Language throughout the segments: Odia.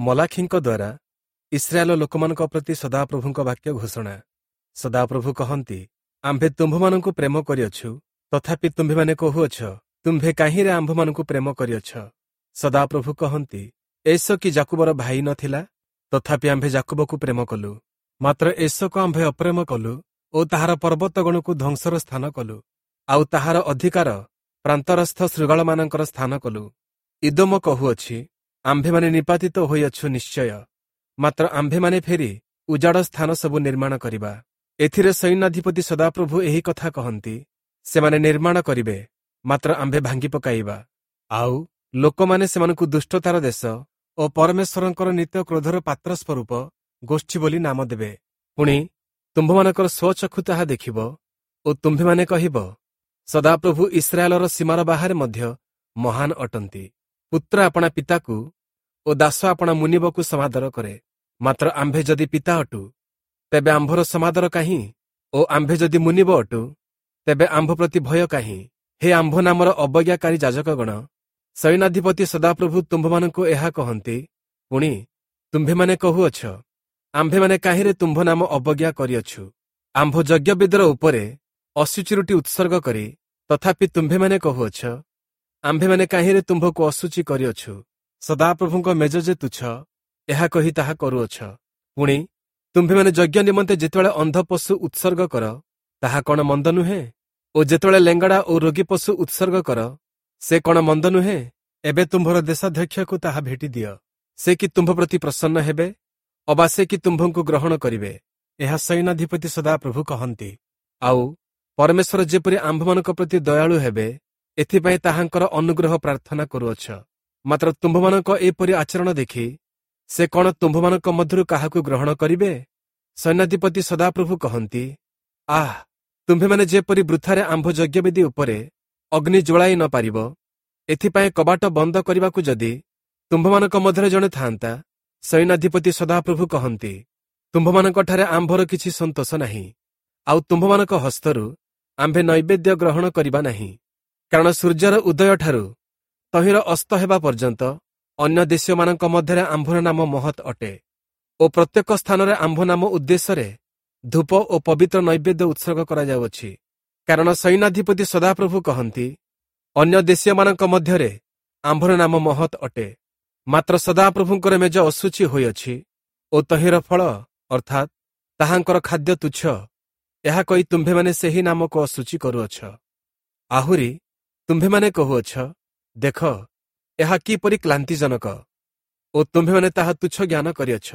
ମଲାଖିଙ୍କ ଦ୍ୱାରା ଇସ୍ରାଏଲ ଲୋକମାନଙ୍କ ପ୍ରତି ସଦାପ୍ରଭୁଙ୍କ ବାକ୍ୟ ଘୋଷଣା। ସଦାପ୍ରଭୁ କହନ୍ତି, ଆମ୍ଭେ ତୁମ୍ଭମାନଙ୍କୁ ପ୍ରେମ କରିଅଛୁ, ତଥାପି ତୁମ୍ଭେମାନେ କହୁଅଛ, ତୁମ୍ଭେ କାହିଁରେ ଆମ୍ଭମାନଙ୍କୁ ପ୍ରେମ କରିଅଛ? ସଦାପ୍ରଭୁ କହନ୍ତି, ଏସ କି ଯାକୁବର ଭାଇ ନଥିଲା? ତଥାପି ଆମ୍ଭେ ଯାକୁବକୁ ପ୍ରେମ କଲୁ, ମାତ୍ର ଏସକୁ ଆମ୍ଭେ ଅପ୍ରେମ କଲୁ ଓ ତାହାର ପର୍ବତଗଣକୁ ଧ୍ୱଂସର ସ୍ଥାନ କଲୁ, ଆଉ ତାହାର ଅଧିକାର ପ୍ରାନ୍ତରସ୍ଥ ଶୃଗାଳମାନଙ୍କର ସ୍ଥାନ କଲୁ। ଇଦୋମ କହୁଅଛି, ଆମ୍ଭେମାନେ ନିପାତିତ ହୋଇଅଛୁ ନିଶ୍ଚୟ, ମାତ୍ର ଆମ୍ଭେମାନେ ଫେରି ଉଜାଡ଼ ସ୍ଥାନ ସବୁ ନିର୍ମାଣ କରିବା। ଏଥିରେ ସୈନ୍ୟାଧିପତି ସଦାପ୍ରଭୁ ଏହି କଥା କହନ୍ତି, ସେମାନେ ନିର୍ମାଣ କରିବେ, ମାତ୍ର ଆମ୍ଭେ ଭାଙ୍ଗି ପକାଇବା। ଆଉ ଲୋକମାନେ ସେମାନଙ୍କୁ ଦୁଷ୍ଟତାର ଦେଶ ଓ ପରମେଶ୍ୱରଙ୍କର ନିତ୍ୟ କ୍ରୋଧର ପାତ୍ର ସ୍ୱରୂପ ଗୋଷ୍ଠୀ ବୋଲି ନାମ ଦେବେ। ପୁଣି ତୁମ୍ଭମାନଙ୍କର ସ୍ୱଚକ୍ଷୁ ତାହା ଦେଖିବ ଓ ତୁମ୍ଭେମାନେ କହିବ, ସଦାପ୍ରଭୁ ଇସ୍ରାଏଲର ସୀମାର ବାହାରେ ମଧ୍ୟ ମହାନ ଅଟନ୍ତି। ପୁତ୍ର ଆପଣା ପିତାକୁ ଓ ଦାସ ଆପଣା ମୁନିବକୁ ସମାଦର କରେ, ମାତ୍ର ଆମ୍ଭେ ଯଦି ପିତା ଅଟୁ, ତେବେ ଆମ୍ଭର ସମାଦର କାହିଁ? ଓ ଆମ୍ଭେ ଯଦି ମୁନିବ ଅଟୁ, ତେବେ ଆମ୍ଭ ପ୍ରତି ଭୟ କାହିଁ? ହେ ଆମ୍ଭ ନାମର ଅବଜ୍ଞାକାରୀ ଯାଜକଗଣ, ସୈନ୍ୟାଧିପତି ସଦାପ୍ରଭୁ ତୁମ୍ଭମାନଙ୍କୁ ଏହା କହନ୍ତି, ପୁଣି ତୁମ୍ଭେମାନେ କହୁଅଛ, ଆମ୍ଭେମାନେ କାହିଁରେ ତୁମ୍ଭ ନାମ ଅବଜ୍ଞା କରିଅଛୁ? ଆମ୍ଭ ଯଜ୍ଞବେଦୀର ଉପରେ ଅଶୁଚି ରୁଟି ଉତ୍ସର୍ଗ କରି, ତଥାପି ତୁମ୍ଭେମାନେ କହୁଅଛ, ଆମ୍ଭେମାନେ କାହିଁରେ ତୁମ୍ଭକୁ ଅଶୁଚି କରିଅଛୁ? ସଦାପ୍ରଭୁଙ୍କ ମେଜ ଯେ ତୁଚ୍ଛ, ଏହା କହି ତାହା କରୁଅଛ। ପୁଣି ତୁମ୍ଭେମାନେ ଯଜ୍ଞ ନିମନ୍ତେ ଯେତେବେଳେ ଅନ୍ଧ ପଶୁ ଉତ୍ସର୍ଗ କର, ତାହା କ'ଣ ମନ୍ଦ ନୁହେଁ? ଓ ଯେତେବେଳେ ଲେଙ୍ଗଡ଼ା ଓ ରୋଗୀ ପଶୁ ଉତ୍ସର୍ଗ କର, ସେ କ'ଣ ମନ୍ଦ ନୁହେଁ? ଏବେ ତୁମ୍ଭର ଦେଶାଧ୍ୟକ୍ଷକୁ ତାହା ଭେଟି ଦିଅ। ସେ କି ତୁମ୍ଭ ପ୍ରତି ପ୍ରସନ୍ନ ହେବେ, ଅବା ସେ କି ତୁମ୍ଭଙ୍କୁ ଗ୍ରହଣ କରିବେ? ଏହା ସୈନ୍ୟାଧିପତି ସଦାପ୍ରଭୁ କହନ୍ତି। ଆଉ ପରମେଶ୍ୱର ଯେପରି ଆମ୍ଭମାନଙ୍କ ପ୍ରତି ଦୟାଳୁ ହେବେ, ଏଥିପାଇଁ ତାହାଙ୍କର ଅନୁଗ୍ରହ ପ୍ରାର୍ଥନା କରୁଅଛ। ମାତ୍ର ତୁମ୍ଭମାନଙ୍କ ଏପରି ଆଚରଣ ଦେଖି ସେ କ'ଣ ତୁମ୍ଭମାନଙ୍କ ମଧ୍ୟରୁ କାହାକୁ ଗ୍ରହଣ କରିବେ? ସୈନ୍ୟାଧିପତି ସଦାପ୍ରଭୁ କହନ୍ତି, ଆଃ, ତୁମ୍ଭେମାନେ ଯେପରି ବୃଥାରେ ଆମ୍ଭ ଯଜ୍ଞବେଦୀ ଉପରେ ଅଗ୍ନି ଜ୍ୱଳାଇ ନ ପାରିବ, ଏଥିପାଇଁ କବାଟ ବନ୍ଦ କରିବାକୁ ଯଦି ତୁମ୍ଭମାନଙ୍କ ମଧ୍ୟରେ ଜଣେ ଥାନ୍ତା, ସୈନ୍ୟାଧିପତି ସଦାପ୍ରଭୁ କହନ୍ତି, ତୁମ୍ଭମାନଙ୍କଠାରେ ଆମ୍ଭର କିଛି ସନ୍ତୋଷ ନାହିଁ, ଆଉ ତୁମ୍ଭମାନଙ୍କ ହସ୍ତରୁ ଆମ୍ଭେ ନୈବେଦ୍ୟ ଗ୍ରହଣ କରିବା ନାହିଁ। କାରଣ ସୂର୍ଯ୍ୟର ଉଦୟଠାରୁ ତହିଁର ଅସ୍ତ ହେବା ପର୍ଯ୍ୟନ୍ତ ଅନ୍ୟ ଦେଶୀୟମାନଙ୍କ ମଧ୍ୟରେ ଆମ୍ଭର ନାମ ମହତ୍ ଅଟେ, ଓ ପ୍ରତ୍ୟେକ ସ୍ଥାନରେ ଆମ୍ଭ ନାମ ଉଦ୍ଦେଶ୍ୟରେ ଧୂପ ଓ ପବିତ୍ର ନୈବେଦ୍ୟ ଉତ୍ସର୍ଗ କରାଯାଉଅଛି। କାରଣ ସୈନ୍ୟାଧିପତି ସଦାପ୍ରଭୁ କହନ୍ତି, ଅନ୍ୟ ଦେଶୀୟମାନଙ୍କ ମଧ୍ୟରେ ଆମ୍ଭର ନାମ ମହତ୍ ଅଟେ, ମାତ୍ର ସଦାପ୍ରଭୁଙ୍କର ମେଜ ଅଶୁଚି ହୋଇଅଛି ଓ ତହିଁର ଫଳ ଅର୍ଥାତ୍ ତାହାଙ୍କର ଖାଦ୍ୟ ତୁଚ୍ଛ, ଏହା କହି ତୁମ୍ଭେମାନେ ସେହି ନାମକୁ ଅଶୁଚି କରୁଅଛ। ଆହୁରି ତୁମ୍ଭେମାନେ କହୁଅଛ, ଦେଖ, ଏହା କିପରି କ୍ଳାନ୍ତିଜନକ, ଓ ତୁମ୍ଭେମାନେ ତାହା ତୁଚ୍ଛ ଜ୍ଞାନ କରିଅଛ।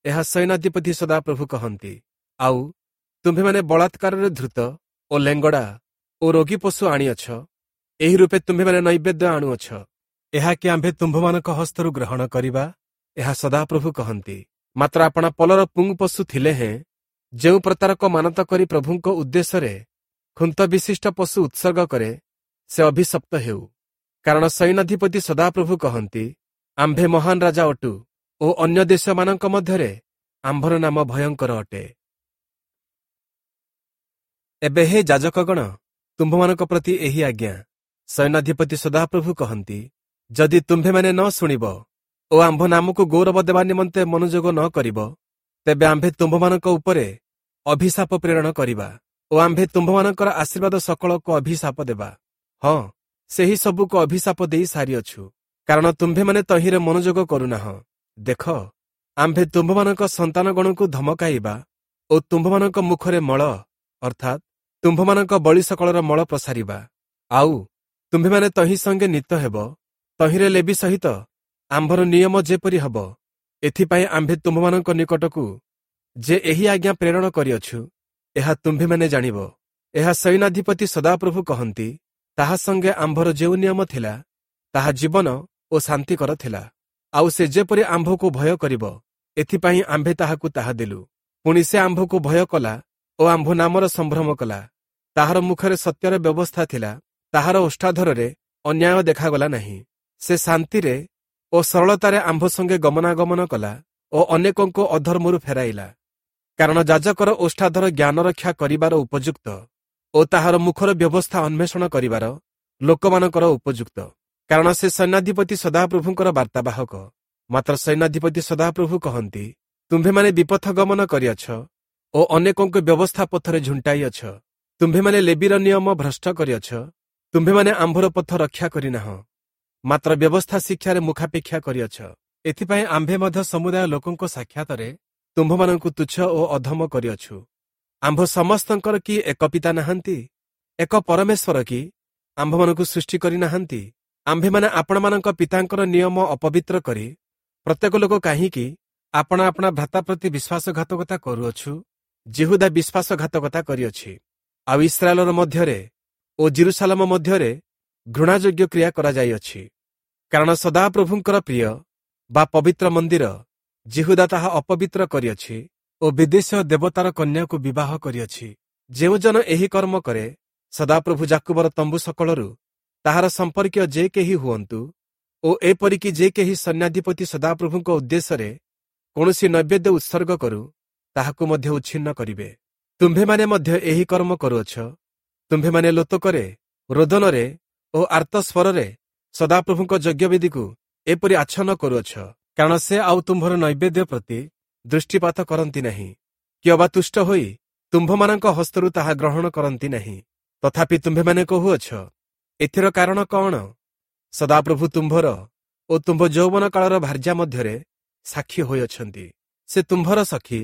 ଏହା ସୈନ୍ୟାଧିପତି ସଦାପ୍ରଭୁ କହନ୍ତି। ଆଉ ତୁମ୍ଭେମାନେ ବଳାତ୍କାରରେ ଧୃତ ଓ ଲେଙ୍ଗଡ଼ା ଓ ରୋଗୀ ପଶୁ ଆଣିଅଛ, ଏହି ରୂପେ ତୁମ୍ଭେମାନେ ନୈବେଦ୍ୟ ଆଣୁଅଛ। ଏହା କି ଆମ୍ଭେ ତୁମ୍ଭମାନଙ୍କ ହସ୍ତରୁ ଗ୍ରହଣ କରିବା? ଏହା ସଦାପ୍ରଭୁ କହନ୍ତି। ମାତ୍ର ଆପଣା ପଲର ପୁଂ ପଶୁ ଥିଲେ ହେଁ ଯେଉଁ ପ୍ରତାରକ ମାନତ କରି ପ୍ରଭୁଙ୍କ ଉଦ୍ଦେଶ୍ୟରେ ଖୁନ୍ତ ବିଶିଷ୍ଟ ପଶୁ ଉତ୍ସର୍ଗ କରେ, ସେ ଅଭିଶପ୍ତ ହେଉ। କାରଣ ସୈନ୍ୟାଧିପତି ସଦାପ୍ରଭୁ କହନ୍ତି, ଆମ୍ଭେ ମହାନ ରାଜା ଅଟୁ ଓ ଅନ୍ୟ ଦେଶମାନଙ୍କ ମଧ୍ୟରେ ଆମ୍ଭର ନାମ ଭୟଙ୍କର ଅଟେ। ଏବେ ହେ ଯାଜକଗଣ, ତୁମ୍ଭମାନଙ୍କ ପ୍ରତି ଏହି ଆଜ୍ଞା, ସୈନ୍ୟାଧିପତି ସଦାପ୍ରଭୁ କହନ୍ତି, ଯଦି ତୁମ୍ଭେମାନେ ନ ଶୁଣିବ ଓ ଆମ୍ଭ ନାମକୁ ଗୌରବ ଦେବା ନିମନ୍ତେ ମନୋଯୋଗ ନ କରିବ, ତେବେ ଆମ୍ଭେ ତୁମ୍ଭମାନଙ୍କ ଉପରେ ଅଭିଶାପ ପ୍ରେରଣ କରିବା ଓ ଆମ୍ଭେ ତୁମ୍ଭମାନଙ୍କର ଆଶୀର୍ବାଦ ସକଳକୁ ଅଭିଶାପ ଦେବା। ହଁ, ସେହି ସବୁକୁ ଅଭିଶାପ ଦେଇ ସାରିଅଛୁ, କାରଣ ତୁମ୍ଭେମାନେ ତହିଁରେ ମନୋଯୋଗ କରୁନାହଁ। ଦେଖ, ଆମ୍ଭେ ତୁମ୍ଭମାନଙ୍କ ସନ୍ତାନଗଣକୁ ଧମକାଇବା ଓ ତୁମ୍ଭମାନଙ୍କ ମୁଖରେ ମଳ ଅର୍ଥାତ୍ ତୁମ୍ଭମାନଙ୍କ ବଳି ସକଳର ମଳ ପ୍ରସାରିବା। ଆଉ ତୁମ୍ଭେମାନେ ତହିଁ ସଙ୍ଗେ ନିତ ହେବ। ତହିଁରେ ଲେବି ସହିତ ଆମ୍ଭର ନିୟମ ଯେପରି ହେବ, ଏଥିପାଇଁ ଆମ୍ଭେ ତୁମ୍ଭମାନଙ୍କ ନିକଟକୁ ଯେ ଏହି ଆଜ୍ଞା ପ୍ରେରଣ କରିଅଛୁ, ଏହା ତୁମ୍ଭେମାନେ ଜାଣିବ। ଏହା ସୈନ୍ୟାଧିପତି ସଦାପ୍ରଭୁ କହନ୍ତି, ତାହା ସଙ୍ଗେ ଆମ୍ଭର ଯେଉଁ ନିୟମ ଥିଲା, ତାହା ଜୀବନ ଓ ଶାନ୍ତିକର ଥିଲା। ଆଉ ସେ ଯେପରି ଆମ୍ଭକୁ ଭୟ କରିବ, ଏଥିପାଇଁ ଆମ୍ଭେ ତାହାକୁ ତାହା ଦେଲୁ। ପୁଣି ସେ ଆମ୍ଭକୁ ଭୟ କଲା ଓ ଆମ୍ଭ ନାମର ସମ୍ଭ୍ରମ କଲା। ତାହାର ମୁଖରେ ସତ୍ୟର ବ୍ୟବସ୍ଥା ଥିଲା, ତାହାର ଓଷ୍ଠାଧରରେ ଅନ୍ୟାୟ ଦେଖାଗଲା ନାହିଁ। ସେ ଶାନ୍ତିରେ ଓ ସରଳତାରେ ଆମ୍ଭ ସଙ୍ଗେ ଗମନାଗମନ କଲା ଓ ଅନେକଙ୍କୁ ଅଧର୍ମରୁ ଫେରାଇଲା। କାରଣ ଯାଜକର ଓଷ୍ଠାଧର ଜ୍ଞାନ ରକ୍ଷା କରିବାର ଉପଯୁକ୍ତ ଓ ତାହାର ମୁଖର ବ୍ୟବସ୍ଥା ଅନ୍ୱେଷଣ କରିବାର ଲୋକମାନଙ୍କର ଉପଯୁକ୍ତ। କାରଣ ସେ ସୈନ୍ୟାଧିପତି ସଦାପ୍ରଭୁଙ୍କର ବାର୍ତ୍ତାବାହକ। ମାତ୍ର ସୈନ୍ୟାଧିପତି ସଦାପ୍ରଭୁ କହନ୍ତି, ତୁମ୍ଭେମାନେ ବିପଥ ଗମନ କରିଅଛ ଓ ଅନେକଙ୍କୁ ବ୍ୟବସ୍ଥା ପଥରେ ଝୁଣ୍ଟାଇଅଛ। ତୁମ୍ଭେମାନେ ଲେବୀର ନିୟମ ଭ୍ରଷ୍ଟ କରିଅଛ। ତୁମ୍ଭେମାନେ ଆମ୍ଭର ପଥ ରକ୍ଷା କରିନାହଁ, ମାତ୍ର ବ୍ୟବସ୍ଥା ଶିକ୍ଷାରେ ମୁଖାପେକ୍ଷା କରିଅଛ। ଏଥିପାଇଁ ଆମ୍ଭେ ମଧ୍ୟ ସମୁଦାୟ ଲୋକଙ୍କ ସାକ୍ଷାତରେ ତୁମ୍ଭମାନଙ୍କୁ ତୁଚ୍ଛ ଓ ଅଧମ କରିଅଛୁ। ଆମ୍ଭ ସମସ୍ତଙ୍କର କି ଏକ ପିତା ନାହାନ୍ତି? ଏକ ପରମେଶ୍ୱର କି ଆମ୍ଭମାନଙ୍କୁ ସୃଷ୍ଟି କରିନାହାନ୍ତି? ଆମ୍ଭେମାନେ ଆପଣମାନଙ୍କ ପିତାଙ୍କର ନିୟମ ଅପବିତ୍ର କରି ପ୍ରତ୍ୟେକ ଲୋକ କାହିଁକି ଆପଣା ଆପଣା ଭ୍ରାତା ପ୍ରତି ବିଶ୍ୱାସଘାତକତା କରୁଅଛୁ? ଯିହୁଦା ବିଶ୍ୱାସଘାତକତା କରିଅଛି, ଆଉ ଇସ୍ରାଏଲର ମଧ୍ୟରେ ଓ ଯିରୂଶାଲମ ମଧ୍ୟରେ ଘୃଣାଯୋଗ୍ୟ କ୍ରିୟା କରାଯାଇଅଛି। କାରଣ ସଦାପ୍ରଭୁଙ୍କର ପ୍ରିୟ ବା ପବିତ୍ର ମନ୍ଦିର ଯିହୁଦା ତାହା ଅପବିତ୍ର କରିଅଛି ଓ ବିଦେଶୀୟ ଦେବତାର କନ୍ୟାକୁ ବିବାହ କରିଅଛି। ଯେଉଁ ଜନ ଏହି କର୍ମ କରେ, ସଦାପ୍ରଭୁ ଯାକୁବର ତମ୍ବୁ ସକଳରୁ ତାହାର ସମ୍ପର୍କୀୟ ଯେ କେହି ହୁଅନ୍ତୁ ଓ ଏପରିକି ଯେ କେହି ସୈନ୍ୟାଧିପତି ସଦାପ୍ରଭୁଙ୍କ ଉଦ୍ଦେଶ୍ୟରେ କୌଣସି ନୈବେଦ୍ୟ ଉତ୍ସର୍ଗ କରୁ, ତାହାକୁ ମଧ୍ୟ ଉଚ୍ଛିନ୍ନ କରିବେ। ତୁମ୍ଭେମାନେ ମଧ୍ୟ ଏହି କର୍ମ କରୁଅଛ। ତୁମ୍ଭେମାନେ ଲୋତକରେ, ରୋଦନରେ ଓ ଆର୍ତ୍ତସ୍ୱରରେ ସଦାପ୍ରଭୁଙ୍କ ଯଜ୍ଞବେଦୀକୁ ଏପରି ଆଚ୍ଛନ୍ନ କରୁଅଛ, କାରଣ ସେ ଆଉ ତୁମ୍ଭର ନୈବେଦ୍ୟ ପ୍ରତି ଦୃଷ୍ଟିପାତ କରନ୍ତି ନାହିଁ, କି ଅବା ତୁଷ୍ଟ ହୋଇ ତୁମ୍ଭମାନଙ୍କ ହସ୍ତରୁ ତାହା ଗ୍ରହଣ କରନ୍ତି ନାହିଁ। ତଥାପି ତୁମ୍ଭେମାନେ କହୁଅଛ, ଏଥିର କାରଣ କଣ? ସଦାପ୍ରଭୁ ତୁମ୍ଭର ଓ ତୁମ୍ଭ ଯୌବନ କାଳର ଭାର୍ଯ୍ୟା ମଧ୍ୟରେ ସାକ୍ଷୀ ହୋଇଅଛନ୍ତି। ସେ ତୁମ୍ଭର ସଖୀ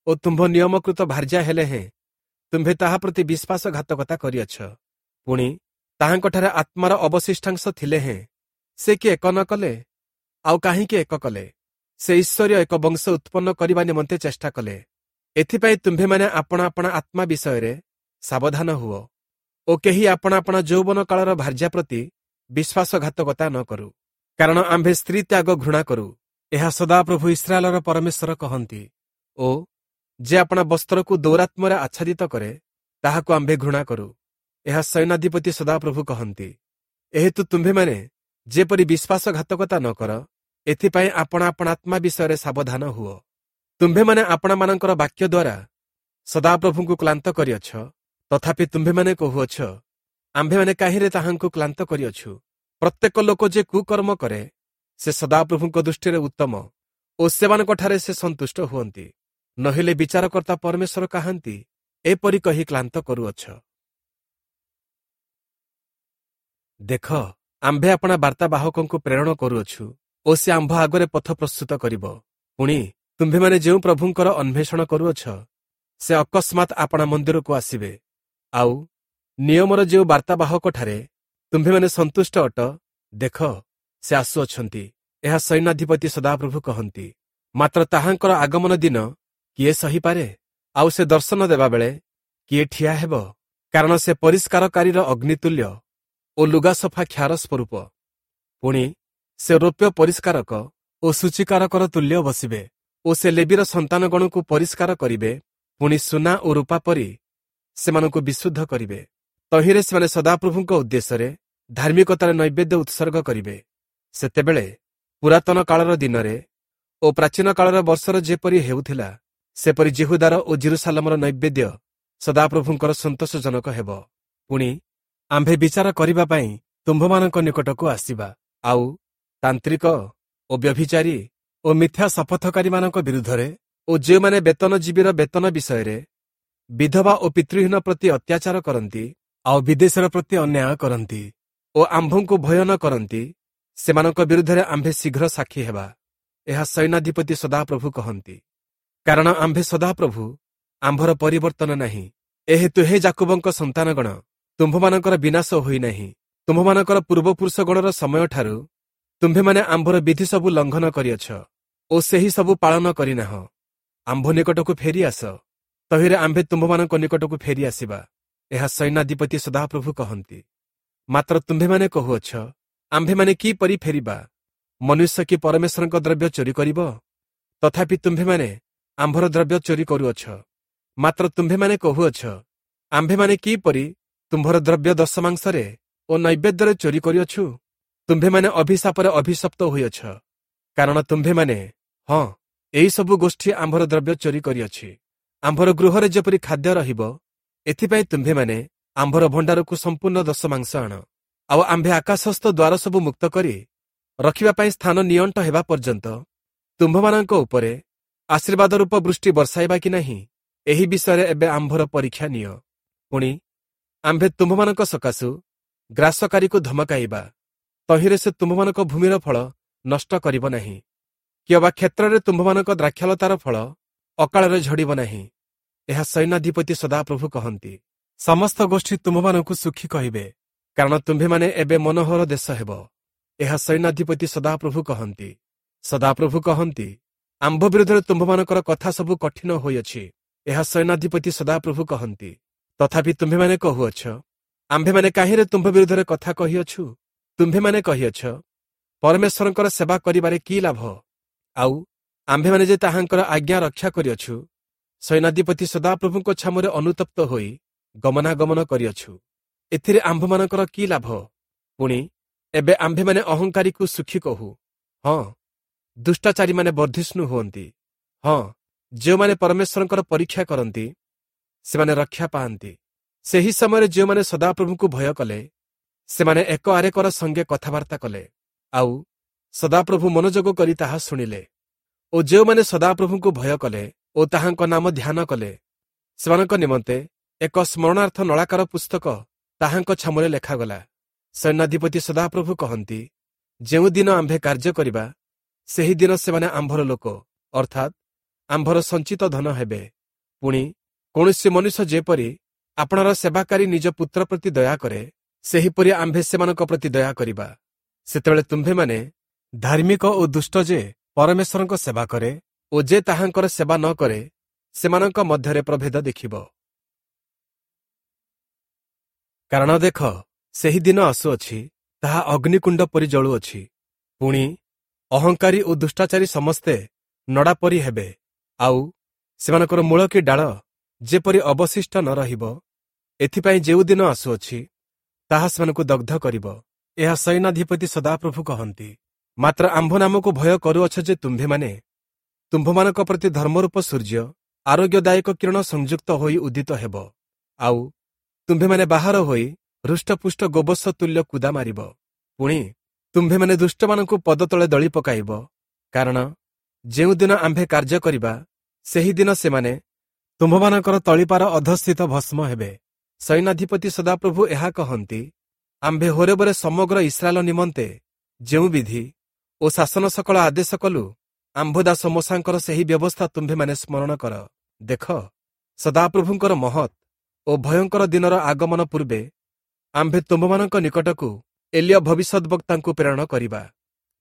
ଓ ତୁମ୍ଭ ନିୟମକୃତ ଭାର୍ଯ୍ୟା ହେଲେ ହେଁ ତୁମ୍ଭେ ତାହା ପ୍ରତି ବିଶ୍ୱାସଘାତକତା କରିଅଛ। ପୁଣି ତାହାଙ୍କଠାରେ ଆତ୍ମାର ଅବଶିଷ୍ଟାଂଶ ଥିଲେ ହେଁ ସେ କି ଏକ ନ କଲେ? ଆଉ କାହିଁକି ଏକ କଲେ? ସେ ଈଶ୍ୱରୀୟ ଏକ ବଂଶ ଉତ୍ପନ୍ନ କରିବା ନିମନ୍ତେ ଚେଷ୍ଟା କଲେ। ଏଥିପାଇଁ ତୁମ୍ଭେମାନେ ଆପଣା ଆପଣା ଆତ୍ମା ବିଷୟରେ ସାବଧାନ ହୁଅ ଓ କେହି ଆପଣା ଆପଣା ଯୌବନ କାଳର ଭାର୍ଯ୍ୟା ପ୍ରତି ବିଶ୍ୱାସଘାତକତା ନ କରୁ, କାରଣ ଆମ୍ଭେ ସ୍ତ୍ରୀ ତ୍ୟାଗ ଘୃଣା କରୁ। ଏହା ସଦାପ୍ରଭୁ ଇସ୍ରାଏଲର ପରମେଶ୍ୱର କହନ୍ତି। ଓ ଯେ ଆପଣା ବସ୍ତ୍ରକୁ ଦୌରାତ୍ମ୍ୟରେ ଆଚ୍ଛାଦିତ କରେ, ତାହାକୁ ଆମ୍ଭେ ଘୃଣା କରୁ। ଏହା ସୈନ୍ୟାଧିପତି ସଦାପ୍ରଭୁ କହନ୍ତି। ଏହେତୁ ତୁମ୍ଭେମାନେ ଯେପରି ବିଶ୍ୱାସଘାତକତା ନ କର, ଏଥିପାଇଁ ଆପଣା ଆପଣା ଆତ୍ମା ବିଷୟରେ ସାବଧାନ ହୁଅ। ତୁମ୍ଭେମାନେ ଆପଣାମାନଙ୍କର ବାକ୍ୟ ଦ୍ୱାରା ସଦାପ୍ରଭୁଙ୍କୁ କ୍ଳାନ୍ତ କରିଅଛ। ତଥାପି ତୁମ୍ଭେମାନେ କହୁଅଛ, ଆମ୍ଭେମାନେ କାହିଁରେ ତାହାଙ୍କୁ କ୍ଳାନ୍ତ କରିଅଛୁ? ପ୍ରତ୍ୟେକ ଲୋକ ଯେ କୁକର୍ମ କରେ, ସେ ସଦାପ୍ରଭୁଙ୍କ ଦୃଷ୍ଟିରେ ଉତ୍ତମ ଓ ସେମାନଙ୍କଠାରେ ସେ ସନ୍ତୁଷ୍ଟ ହୁଅନ୍ତି। ନହେଲେ ବିଚାରକର୍ତ୍ତା ପରମେଶ୍ୱର କାହାନ୍ତି? ଏପରି କହି କ୍ଳାନ୍ତ କରୁଅଛ। ଦେଖ, ଆମ୍ଭେ ଆପଣା ବାର୍ତ୍ତାବାହକଙ୍କୁ ପ୍ରେରଣ କରୁଅଛୁ ଓ ସେ ଆମ୍ଭ ଆଗରେ ପଥ ପ୍ରସ୍ତୁତ କରିବ। ପୁଣି ତୁମ୍ଭେମାନେ ଯେଉଁ ପ୍ରଭୁଙ୍କର ଅନ୍ୱେଷଣ କରୁଅଛ, ସେ ଅକସ୍ମାତ୍ ଆପଣା ମନ୍ଦିରକୁ ଆସିବେ। ଆଉ ନିୟମର ଯେଉଁ ବାର୍ତ୍ତାବାହକଠାରେ ତୁମ୍ଭେମାନେ ସନ୍ତୁଷ୍ଟ ଅଟ, ଦେଖ, ସେ ଆସୁଅଛନ୍ତି। ଏହା ସୈନ୍ୟାଧିପତି ସଦାପ୍ରଭୁ କହନ୍ତି। ମାତ୍ର ତାହାଙ୍କର ଆଗମନ ଦିନ କିଏ ସହିପାରେ? ଆଉ ସେ ଦର୍ଶନ ଦେବାବେଳେ କିଏ ଠିଆ ହେବ? କାରଣ ସେ ପରିଷ୍କାରକାରୀର ଅଗ୍ନିତୁଲ୍ୟ ଓ ଲୁଗା ସଫା କ୍ଷାର ସ୍ୱରୂପ। ପୁଣି ସେ ରୌପ୍ୟ ପରିଷ୍କାରକ ଓ ସୂଚୀକାରକର ତୁଲ୍ୟ ବସିବେ ଓ ସେ ଲେବୀର ସନ୍ତାନଗଣକୁ ପରିଷ୍କାର କରିବେ। ପୁଣି ସୁନା ଓ ରୂପା ପରି ସେମାନଙ୍କୁ ବିଶୁଦ୍ଧ କରିବେ। ତହିଁରେ ସେମାନେ ସଦାପ୍ରଭୁଙ୍କ ଉଦ୍ଦେଶ୍ୟରେ ଧାର୍ମିକତାର ନୈବେଦ୍ୟ ଉତ୍ସର୍ଗ କରିବେ। ସେତେବେଳେ ପୁରାତନ କାଳର ଦିନରେ ଓ ପ୍ରାଚୀନ କାଳର ବର୍ଷର ଯେପରି ହେଉଥିଲା, ସେପରି ଯିହୁଦାର ଓ ଯିରୂଶାଲମର ନୈବେଦ୍ୟ ସଦାପ୍ରଭୁଙ୍କର ସନ୍ତୋଷଜନକ ହେବ। ପୁଣି ଆମ୍ଭେ ବିଚାର କରିବା ପାଇଁ ତୁମ୍ଭମାନଙ୍କ ନିକଟକୁ ଆସିବା। ଆଉ ତାନ୍ତ୍ରିକ ଓ ବ୍ୟଭିଚାରୀ ଓ ମିଥ୍ୟା ଶପଥକାରୀମାନଙ୍କ ବିରୁଦ୍ଧରେ ଓ ଯେଉଁମାନେ ବେତନଜୀବୀର ବେତନ ବିଷୟରେ ବିଧବା ଓ ପିତୃହୀନ ପ୍ରତି ଅତ୍ୟାଚାର କରନ୍ତି, ଆଉ ବିଦେଶର ପ୍ରତି ଅନ୍ୟାୟ କରନ୍ତି ଓ ଆମ୍ଭଙ୍କୁ ଭୟ ନ କରନ୍ତି, ସେମାନଙ୍କ ବିରୁଦ୍ଧରେ ଆମ୍ଭେ ଶୀଘ୍ର ସାକ୍ଷୀ ହେବା। ଏହା ସୈନ୍ୟାଧିପତି ସଦାପ୍ରଭୁ କହନ୍ତି। କାରଣ ଆମ୍ଭେ ସଦାପ୍ରଭୁ, ଆମ୍ଭର ପରିବର୍ତ୍ତନ ନାହିଁ। ଏହେତୁ ହେ ଯାକୁବଙ୍କ ସନ୍ତାନଗଣ, ତୁମ୍ଭମାନଙ୍କର ବିନାଶ ହୋଇନାହିଁ। ତୁମ୍ଭମାନଙ୍କର ପୂର୍ବପୁରୁଷଗଣର ସମୟଠାରୁ ତୁମ୍ଭେମାନେ ଆମ୍ଭର ବିଧି ସବୁ ଲଙ୍ଘନ କରିଅଛ ଓ ସେହି ସବୁ ପାଳନ କରିନାହଁ। ଆମ୍ଭ ନିକଟକୁ ଫେରିଆସ, ତହିଁରେ ଆମ୍ଭେ ତୁମ୍ଭମାନଙ୍କ ନିକଟକୁ ଫେରିଆସିବା। ଏହା ସୈନ୍ୟାଧିପତି ସଦାପ୍ରଭୁ କହନ୍ତି। ମାତ୍ର ତୁମ୍ଭେମାନେ କହୁଅଛ, ଆମ୍ଭେମାନେ କିପରି ଫେରିବା? ମନୁଷ୍ୟ କି ପରମେଶ୍ୱରଙ୍କ ଦ୍ରବ୍ୟ ଚୋରି କରିବ? ତଥାପି ତୁମ୍ଭେମାନେ ଆମ୍ଭର ଦ୍ରବ୍ୟ ଚୋରି କରୁଅଛ। ମାତ୍ର ତୁମ୍ଭେମାନେ କହୁଅଛ, ଆମ୍ଭେମାନେ କିପରି ତୁମ୍ଭର ଦ୍ରବ୍ୟ ଦଶମାଂଶରେ ଓ ନୈବେଦ୍ୟରେ ଚୋରି କରିଅଛୁ? ତୁମ୍ଭେମାନେ ଅଭିଶାପରେ ଅଭିଶପ୍ତ ହୋଇଅଛ, କାରଣ ତୁମ୍ଭେମାନେ, ହଁ, ଏହିସବୁ ଗୋଷ୍ଠୀ ଆମ୍ଭର ଦ୍ରବ୍ୟ ଚୋରି କରିଅଛି। ଆମ୍ଭର ଗୃହରେ ଯେପରି ଖାଦ୍ୟ ରହିବ, ଏଥିପାଇଁ ତୁମ୍ଭେମାନେ ଆମ୍ଭର ଭଣ୍ଡାରକୁ ସମ୍ପୂର୍ଣ୍ଣ ଦଶମାଂଶ ଆଣ। ଆଉ ଆମ୍ଭେ ଆକାଶସ୍ଥ ଦ୍ୱାର ସବୁ ମୁକ୍ତ କରି ରଖିବା ପାଇଁ ସ୍ଥାନ ନିଅଣ୍ଟ ହେବା ପର୍ଯ୍ୟନ୍ତ ତୁମ୍ଭମାନଙ୍କ ଉପରେ ଆଶୀର୍ବାଦ ରୂପ ବୃଷ୍ଟି ବର୍ଷାଇବା କି ନାହିଁ, ଏହି ବିଷୟରେ ଏବେ ଆମ୍ଭର ପରୀକ୍ଷା ନିଅ। ପୁଣି ଆମ୍ଭେ ତୁମ୍ଭମାନଙ୍କ ସକାଶୁ ଗ୍ରାସକାରୀକୁ ଧମକାଇବା, ତହିଁରେ ସେ ତୁମ୍ଭମାନଙ୍କ ଭୂମିର ଫଳ ନଷ୍ଟ କରିବ ନାହିଁ, କିଅବା କ୍ଷେତ୍ରରେ ତୁମ୍ଭମାନଙ୍କ ଦ୍ରାକ୍ଷାଲତାର ଫଳ ଅକାଳରେ ଝଡ଼ିବ ନାହିଁ। ଏହା ସୈନ୍ୟାଧିପତି ସଦାପ୍ରଭୁ କହନ୍ତି। ସମସ୍ତ ଗୋଷ୍ଠୀ ତୁମ୍ଭମାନଙ୍କୁ ସୁଖୀ କହିବେ, କାରଣ ତୁମ୍ଭେମାନେ ଏବେ ମନୋହର ଦେଶ ହେବ। ଏହା ସୈନ୍ୟାଧିପତି ସଦାପ୍ରଭୁ କହନ୍ତି। ସଦାପ୍ରଭୁ କହନ୍ତି, ଆମ୍ଭ ବିରୁଦ୍ଧରେ ତୁମ୍ଭମାନଙ୍କର କଥା ସବୁ କଠିନ ହୋଇଅଛି। ଏହା ସୈନ୍ୟାଧିପତି ସଦାପ୍ରଭୁ କହନ୍ତି। ତଥାପି ତୁମ୍ଭେମାନେ କହୁଅଛ, ଆମ୍ଭେମାନେ କାହିଁରେ ତୁମ୍ଭ ବିରୁଦ୍ଧରେ କଥା କହିଅଛୁ? ତୁମ୍ଭେମାନେ କହିଅଛ, ପରମେଶ୍ୱରଙ୍କର ସେବା କରିବାରେ କି ଲାଭ? ଆଉ ଆମ୍ଭେମାନେ ଯେ ତାହାଙ୍କର ଆଜ୍ଞା ରକ୍ଷା କରିଅଛୁ, ସୈନ୍ୟାଧିପତି ସଦାପ୍ରଭୁଙ୍କ ଛାମୁରେ ଅନୁତପ୍ତ ହୋଇ ଗମନାଗମନ କରିଅଛୁ, ଏଥିରେ ଆମ୍ଭମାନଙ୍କର କି ଲାଭ? ପୁଣି ଏବେ ଆମ୍ଭେମାନେ ଅହଙ୍କାରୀକୁ ସୁଖୀ କହୁ। ହଁ, ଦୁଷ୍ଟାଚାରୀମାନେ ବର୍ଦ୍ଧିଷ୍ଣୁ ହୁଅନ୍ତି। ହଁ, ଯେଉଁମାନେ ପରମେଶ୍ୱରଙ୍କର ପରୀକ୍ଷା କରନ୍ତି ସେମାନେ ରକ୍ଷା ପାଆନ୍ତି। ସେହି ସମୟରେ ଯେଉଁମାନେ ସଦାପ୍ରଭୁଙ୍କୁ ଭୟ କଲେ, ସେମାନେ ଏକ ଆରେକର ସଙ୍ଗେ କଥାବାର୍ତ୍ତା କଲେ, ଆଉ ସଦାପ୍ରଭୁ ମନୋଯୋଗ କରି ତାହା ଶୁଣିଲେ। ଓ ଯେଉଁମାନେ ସଦାପ୍ରଭୁଙ୍କୁ ଭୟ କଲେ ଓ ତାହାଙ୍କ ନାମ ଧ୍ୟାନ କଲେ, ସେମାନଙ୍କ ନିମନ୍ତେ ଏକ ସ୍ମରଣାର୍ଥ ନଳାକାର ପୁସ୍ତକ ତାହାଙ୍କ ଛାମୁରେ ଲେଖାଗଲା। ସୈନ୍ୟାଧିପତି ସଦାପ୍ରଭୁ କହନ୍ତି, ଯେଉଁଦିନ ଆମ୍ଭେ କାର୍ଯ୍ୟ କରିବା, ସେହିଦିନ ସେମାନେ ଆମ୍ଭର ଲୋକ, ଅର୍ଥାତ୍ ଆମ୍ଭର ସଞ୍ଚିତ ଧନ ହେବେ। ପୁଣି କୌଣସି ମନୁଷ୍ୟ ଯେପରି ଆପଣାର ସେବାକାରୀ ନିଜ ପୁତ୍ର ପ୍ରତି ଦୟା କରେ, ସେହିପରି ଆମ୍ଭେ ସେମାନଙ୍କ ପ୍ରତି ଦୟା କରିବା। ସେତେବେଳେ ତୁମ୍ଭେମାନେ ଧାର୍ମିକ ଓ ଦୁଷ୍ଟ ଯେ ପରମେଶ୍ୱରଙ୍କ ସେବା କରେ ଓ ଯେ ତାହାଙ୍କର ସେବା ନ କରେ, ସେମାନଙ୍କ ମଧ୍ୟରେ ପ୍ରଭେଦ ଦେଖିବ। କାରଣ ଦେଖ, ସେହି ଦିନ ଆସୁଅଛି, ତାହା ଅଗ୍ନିକୁଣ୍ଡ ପରି ଜଳୁଅଛି। ପୁଣି ଅହଙ୍କାରୀ ଓ ଦୁଷ୍ଟାଚାରୀ ସମସ୍ତେ ନଡ଼ା ପରି ହେବେ, ଆଉ ସେମାନଙ୍କର ମୂଳ କି ଡାଳ ଯେପରି ଅବଶିଷ୍ଟ ନ ରହିବ, ଏଥିପାଇଁ ଯେଉଁ ଦିନ ଆସୁଅଛି ତାହା ସେମାନଙ୍କୁ ଦଗ୍ଧ କରିବ। ଏହା ସୈନ୍ୟାଧିପତି ସଦାପ୍ରଭୁ କହନ୍ତି। ମାତ୍ର ଆମ୍ଭ ନାମକୁ ଭୟ କରୁଅଛ ଯେ ତୁମ୍ଭେମାନେ, ତୁମ୍ଭମାନଙ୍କ ପ୍ରତି ଧର୍ମରୂପ ସୂର୍ଯ୍ୟ ଆରୋଗ୍ୟଦାୟକ କିରଣ ସଂଯୁକ୍ତ ହୋଇ ଉଦିତ ହେବ, ଆଉ ତୁମ୍ଭେମାନେ ବାହାର ହୋଇ ହୃଷ୍ଟପୁଷ୍ଟ ଗୋବତ୍ସ ତୁଲ୍ୟ କୁଦା ମାରିବ। ପୁଣି ତୁମ୍ଭେମାନେ ଦୁଷ୍ଟମାନଙ୍କୁ ପଦତଳେ ଦଳି ପକାଇବ, କାରଣ ଯେଉଁଦିନ ଆମ୍ଭେ କାର୍ଯ୍ୟ କରିବା, ସେହିଦିନ ସେମାନେ ତୁମ୍ଭମାନଙ୍କର ତଳିପାର ଅଧସ୍ଥିତ ଭସ୍ମ ହେବେ। ସୈନ୍ୟାଧିପତି ସଦାପ୍ରଭୁ ଏହା କହନ୍ତି, ଆମ୍ଭେ ହୋରେବରେ ସମଗ୍ର ଇସ୍ରାଏଲ ନିମନ୍ତେ ଯେଉଁ ବିଧି ଓ ଶାସନ ସକଳ ଆଦେଶ କଲୁ, ଆମ୍ଭ ଦାସ ମୋଶାଙ୍କର ସେହି ବ୍ୟବସ୍ଥା ତୁମ୍ଭେମାନେ ସ୍ମରଣ କର। ଦେଖ, ସଦାପ୍ରଭୁଙ୍କର ମହତ୍ ଓ ଭୟଙ୍କର ଦିନର ଆଗମନ ପୂର୍ବେ ଆମ୍ଭେ ତୁମ୍ଭମାନଙ୍କ ନିକଟକୁ ଏଲିୟ ଭବିଷ୍ୟଦ୍ବକ୍ତାଙ୍କୁ ପ୍ରେରଣ କରିବା।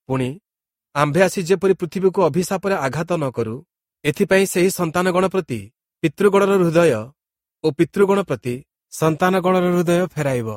ପୁଣି ଆମ୍ଭେ ଆସି ଯେପରି ପୃଥିବୀକୁ ଅଭିଶାପରେ ଆଘାତ ନ କରୁ, ଏଥିପାଇଁ ସେହି ସନ୍ତାନଗଣ ପ୍ରତି ପିତୃଗଣର ହୃଦୟ ଓ ପିତୃଗଣ ପ୍ରତି ସନ୍ତାନଗଣର ହୃଦୟ ଫେରାଇବ।